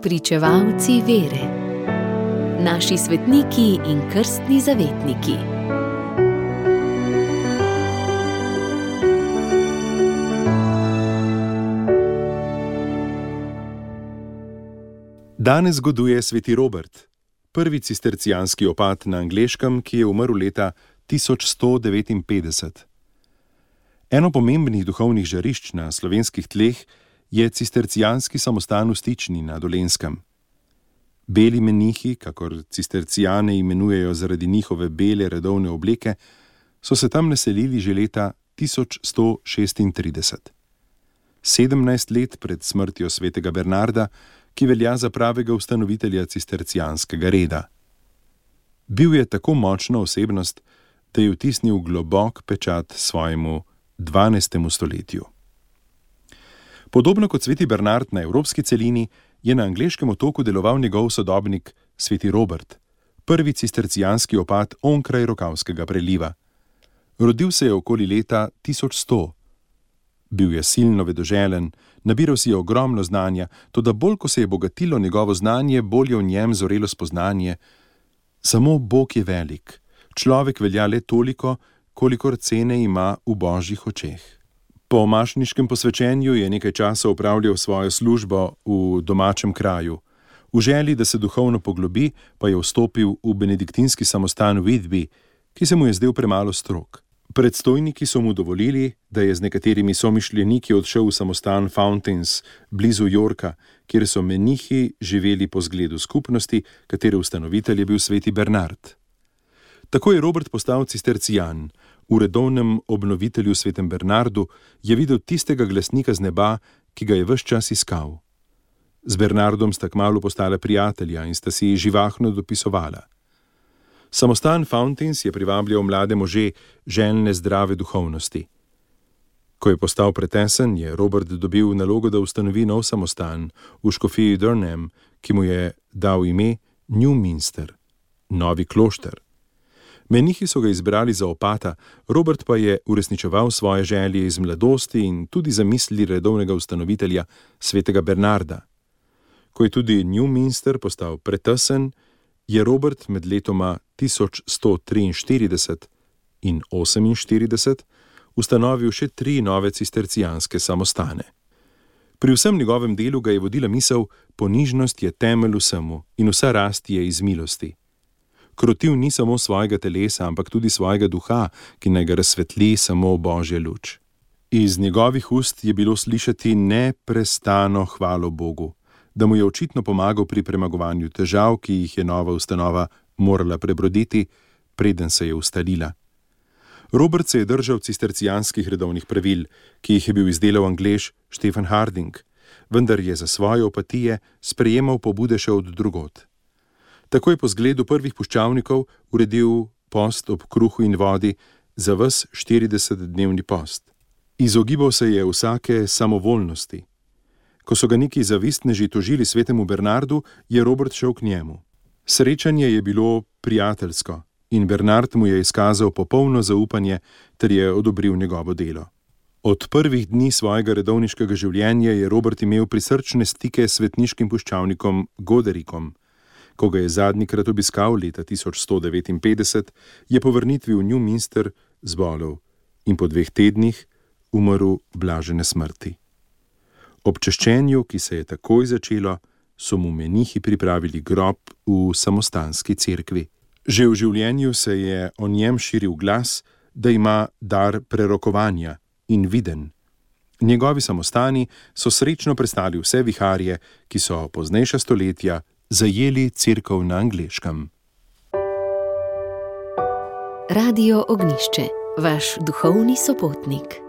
Spričevalci vere. Naši svetniki in krstni zavetniki. Danes goduje sveti Robert, prvi cistercijanski opat na Angleškem, ki je umrl leta 1159. Eno pomembnih duhovnih žarišč na slovenskih tleh je cistercijanski samostan v Stični na Dolenjskem. Beli menihi, kakor cistercijane imenujejo zaradi njihove bele redovne obleke, so se tam naselili že leta 1136. 17 let pred smrtjo svetega Bernarda, ki velja za pravega ustanovitelja cistercijanskega reda. Bil je tako močna osebnost, da je vtisnil globok pečat svojemu 12. stoletju. Podobno kot sveti Bernard na evropski celini, je na angleškem otoku deloval njegov sodobnik sveti Robert, prvi cistercijanski opat onkraj Rokavskega preliva. Rodil se je okoli leta 1100. Bil je silno vedoželen, nabiral si je ogromno znanja, toda bolj ko se je bogatilo njegovo znanje, bolj je v njem zorelo spoznanje. Samo Bog je velik, človek velja le toliko, kolikor cene ima v božjih očeh. Po mašniškem posvečenju je nekaj časa opravljal svojo službo v domačem kraju. V želji, da se duhovno poglobi, pa je vstopil v benediktinski samostan Whitby, ki se mu je zdel premalo strog. Predstojniki so mu dovolili, da je z nekaterimi somišljeniki odšel v samostan Fountains blizu Yorka, kjer so menihi živeli po zgledu skupnosti, katere ustanovitelj je bil sveti Bernard. Tako je Robert postal cistercijan. V redovnem obnovitelju svetem Bernardu je videl tistega glasnika z neba, ki ga je ves čas iskal. Z Bernardom sta kmalu postala prijatelja in sta si živahno dopisovala. Samostan Fountains je privabljal mlade može željne zdrave duhovnosti. Ko je postal pretesen, je Robert dobil nalogo, da ustanovi nov samostan v škofiji Durham, ki mu je dal ime Newminster, novi klošter. Menihi so ga izbrali za opata, Robert pa je uresničeval svoje želje iz mladosti in tudi zamisli redovnega ustanovitelja svetega Bernarda. Ko je tudi Newminster postal pretesen, je Robert med letoma 1143 in 48 ustanovil še 3 nove cistercijanske samostane. Pri vsem njegovem delu ga je vodila misel: ponižnost je temelj vsemu in vsa rast je iz milosti. Krotil ni samo svojega telesa, ampak tudi svojega duha, ki naj ga razsvetli samo Božja luč. Iz njegovih ust je bilo slišati neprestano hvalo Bogu, da mu je očitno pomagal pri premagovanju težav, ki jih je nova ustanova morala prebroditi, preden se je ustalila. Robert se je držal cistercijanskih redovnih pravil, ki jih je bil izdelal Anglež Stephen Harding, vendar je za svoje opatije sprejemal pobude še od drugod. Tako je po zgledu prvih puščavnikov uredil post ob kruhu in vodi za ves 40-dnevni post. Izogibal se je vsake samovoljnosti. Ko so ga neki zavistneži tožili svetemu Bernardu, je Robert šel k njemu. Srečanje je bilo prijateljsko in Bernard mu je izkazal popolno zaupanje ter je odobril njegovo delo. Od prvih dni svojega redovniškega življenja je Robert imel prisrčne stike s svetniškim puščavnikom Goderikom. Ko ga je zadnjikrat obiskal leta 1159, je po vrnitvi v Newminster zbolel in po 2 tednih umrl blažene smrti. Ob češčenju, ki se je takoj začelo, so mu menihi pripravili grob v samostanski cerkvi. Že v življenju se je o njem širil glas, da ima dar prerokovanja in viden. Njegovi samostani so srečno prestali vse viharje, ki so poznejša stoletja zajeli cerkev na Angleškem. Radio Ognjišče, vaš duhovni sopotnik.